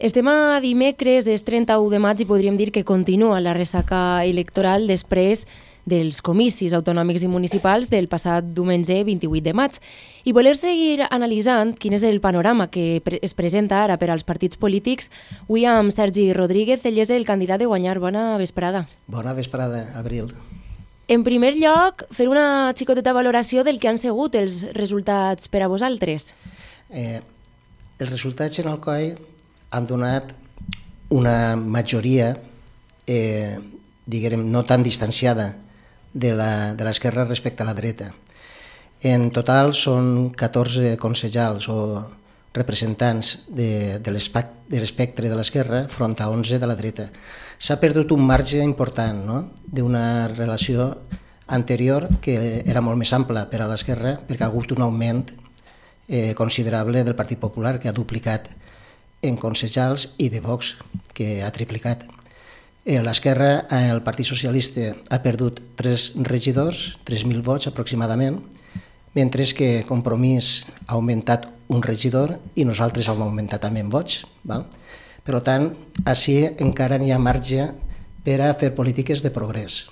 Estem a dimecres, és 31 de maig i podríem dir que continua la ressaca electoral després dels comicis autonòmics i municipals del passat diumenge 28 de maig. I voler seguir analitzant quin és el panorama que es presenta ara per als partits polítics, avui amb Sergi Rodríguez, ell és el candidat de guanyar. Bona vesprada. Bona vesprada, Abril. En primer lloc, fer una xicoteta valoració del que han sigut els resultats per a vosaltres. Els resultats en el COI han donat una majoria, diguem, no tan distanciada de l'esquerra respecte a la dreta. En total són 14 consellals o representants de l'espectre de l'esquerra front a 11 de la dreta. S'ha perdut un marge important, no?, d'una relació anterior que era molt més ampla per a l'esquerra, perquè ha hagut un augment considerable del Partit Popular, que ha duplicat en consellals, i de Vox, que ha triplicat. L'esquerra, el Partit Socialista, ha perdut 3 regidors, 3.000 vots aproximadament, mentre que Compromís ha augmentat un regidor i nosaltres hem augmentat també en vots. Val? Per tant, així encara n'hi ha marge per a fer polítiques de progrés.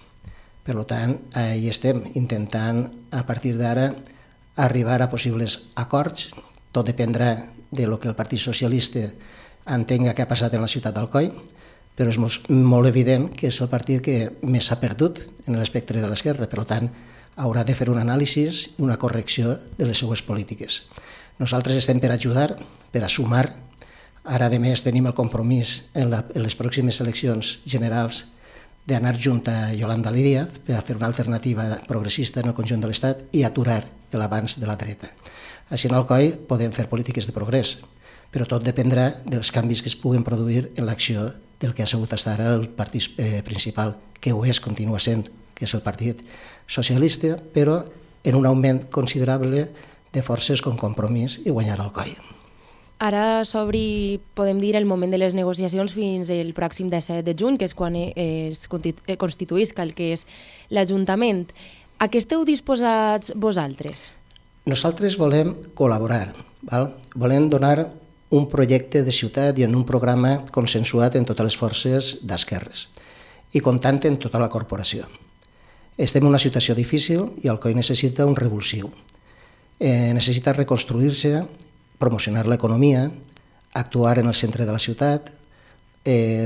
Per tant, hi estem intentant, a partir d'ara, arribar a possibles acords. Tot dependrà de lo que el Partit Socialista entenga que ha passat en la ciutat d'Alcoi, però és molt evident que és el partit que més s'ha perdut en l'espectre de l'esquerra. Per tant, haurà de fer un anàlisi i una correcció de les seues polítiques. Nosaltres estem per ajudar, per a sumar. Ara, a més, tenim el compromís en les pròximes eleccions generals d'anar junt a Yolanda Díaz per a fer una alternativa progressista en el conjunt de l'Estat i aturar l'avanç de la dreta. Així en Alcoi podem fer polítiques de progrés, però tot dependrà dels canvis que es puguen produir en l'acció del que ha sigut fins ara el partit principal, que ho és, continua sent, que és el Partit Socialista, però en un augment considerable de forces com Compromís i guanyar Alcoi. Ara s'obri, podem dir, el moment de les negociacions fins el pròxim 17 de juny, que és quan es constituïsca el que és l'Ajuntament. A què esteu disposats vosaltres? Nosaltres volem col·laborar, val? Volem donar un projecte de ciutat i en un programa consensuat en totes les forces d'esquerres i comptant en tota la corporació. Estem en una situació difícil i Alcoi necessita un revulsiu. Necessita reconstruir-se, promocionar l'economia, actuar en el centre de la ciutat,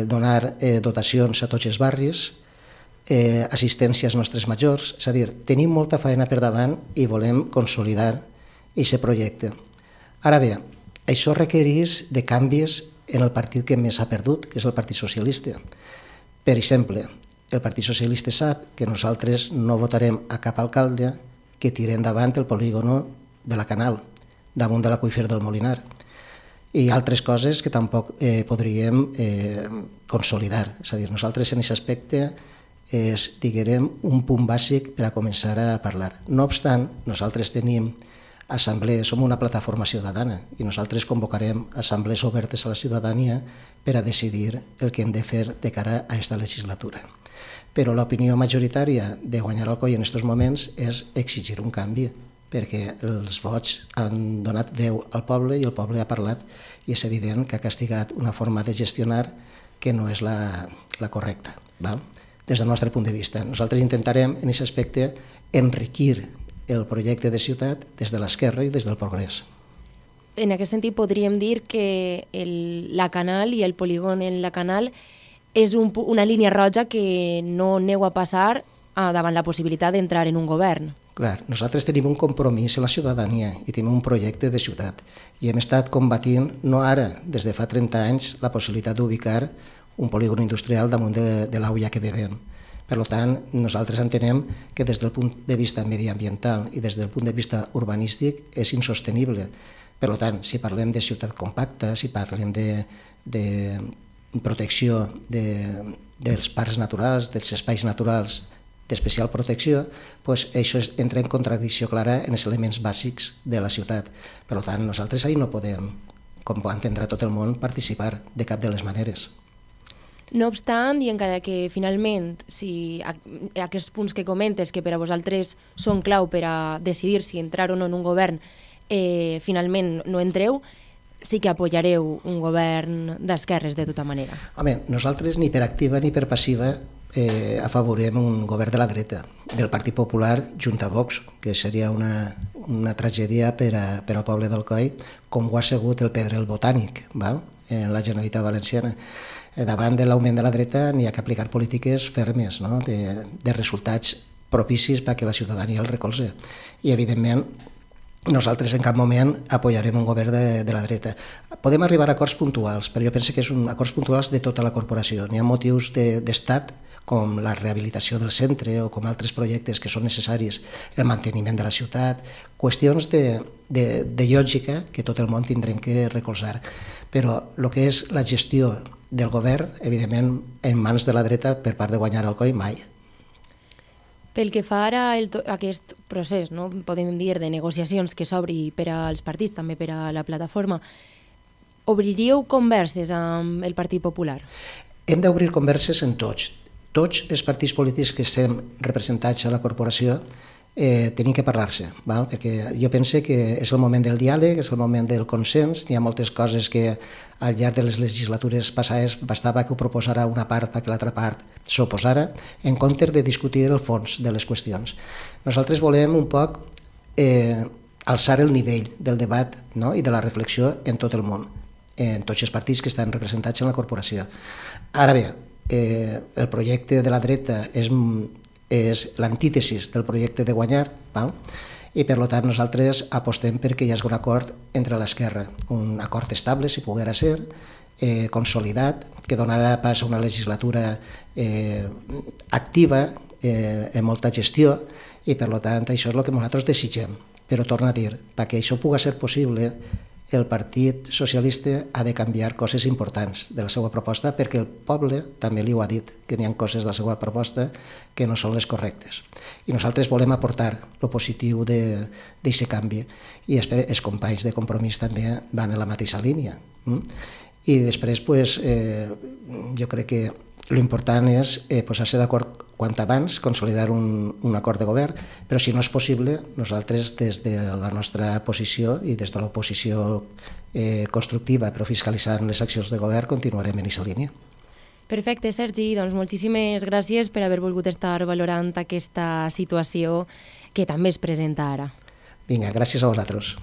donar dotacions a tots els barris, assistència als nostres majors. És a dir, tenim molta feina per davant i volem consolidar aquest projecte. Ara bé, això requereix de canvis en el partit que més ha perdut, que és el Partit Socialista. Per exemple, el Partit Socialista sap que nosaltres no votarem a cap alcalde que tiri endavant el polígono de la Canal, damunt de l'aqüífer del Molinar, i altres coses que tampoc podríem consolidar. És a dir, nosaltres en aquest aspecte és, diguem, un punt bàsic per a començar a parlar. No obstant, nosaltres tenim assemblees, som una plataforma ciutadana i nosaltres convocarem assemblees obertes a la ciutadania per a decidir el que hem de fer de cara a aquesta legislatura. Però l'opinió majoritària de guanyar Alcoi en aquests moments és exigir un canvi, perquè els vots han donat veu al poble i el poble ha parlat i és evident que ha castigat una forma de gestionar que no és la correcta, val? Des del nostre punt de vista. Nosaltres intentarem, en aquest aspecte, enriquir el projecte de ciutat des de l'esquerra i des del progrés. En aquest sentit, podríem dir que la Canal i el polígon en la Canal és una línia roja que no aneu a passar davant la possibilitat d'entrar en un govern. Clar, nosaltres tenim un compromís amb la ciutadania i tenim un projecte de ciutat i hem estat combatint, no ara, des de fa 30 anys, la possibilitat d'ubicar un polígon industrial damunt de l'auia que bevem. Per tant, nosaltres entenem que des del punt de vista mediambiental i des del punt de vista urbanístic és insostenible. Per tant, si parlem de ciutat compacta, si parlem de protecció dels parcs naturals, dels espais naturals d'especial protecció, doncs això entra en contradicció clara en els elements bàsics de la ciutat. Per tant, nosaltres ahir no podem, com entendrà tot el món, participar de cap de les maneres. No obstant, i encara que finalment si aquests punts que comentes, que per a vosaltres són clau per a decidir si entrar o no en un govern, finalment no entreu, sí que apoyareu un govern d'esquerres de tota manera. Home, nosaltres ni per activa ni per passiva afavorim un govern de la dreta, del Partit Popular junt a Vox, que seria una tragèdia per al poble d'Alcoi, com ho ha sigut el Pedrell Botànic, val? En la Generalitat Valenciana. Davant de l'augment de la dreta n'hi ha que aplicar polítiques fermes, no? de resultats propicis perquè la ciutadania el recolze. I, evidentment, nosaltres en cap moment apoyarem un govern de la dreta. Podem arribar a acords puntuals, però jo penso que és acords puntuals de tota la corporació. N'hi ha motius d'estat, com la rehabilitació del centre o com altres projectes que són necessaris, el manteniment de la ciutat, qüestions de lògica que tot el món tindrem que recolzar. Però el que és la gestió del govern, evidentment, en mans de la dreta per part de Guanyar Alcoi, mai. Pel que fa ara a aquest procés, no? Podem dir, de negociacions que s'obri per als partits, també per a la plataforma, obriríeu converses amb el Partit Popular? Hem d'obrir converses en tots. Tots els partits polítics que estem representats a la corporació tenim que parlar-se, val? Perquè jo penso que és el moment del diàleg, és el moment del consens. Hi ha moltes coses que al llarg de les legislatures passades bastava que ho proposara una part perquè l'altra part s'oposara, en comptes de discutir el fons de les qüestions. Nosaltres volem un poc alçar el nivell del debat, no? I de la reflexió en tot el món, en tots els partits que estan representats en la corporació. Ara bé, el projecte de la dreta és l'antítesis del projecte de Guanyar, val? I per tant nosaltres apostem perquè hi hagi un acord entre l'esquerra, un acord estable, si poguera ser, consolidat, que donarà pas a una legislatura activa, amb molta gestió, i per tant això és el que nosaltres desitgem. Però torno a dir, perquè això pugui ser possible, el Partit Socialista ha de canviar coses importants de la seva proposta, perquè el poble també li ho ha dit, que n'hi ha coses de la seva proposta que no són les correctes. I nosaltres volem aportar el positiu d'aquest canvi, i els companys de Compromís també van en la mateixa línia. I després, jo crec que l'important és posar-se d'acord quant abans, consolidar un acord de govern, però si no és possible, nosaltres des de la nostra posició i des de l'oposició constructiva però fiscalitzant les accions de govern continuarem en aquesta línia. Perfecte, Sergi, doncs moltíssimes gràcies per haver volgut estar valorant aquesta situació que també es presenta ara. Vinga, gràcies a vosaltres.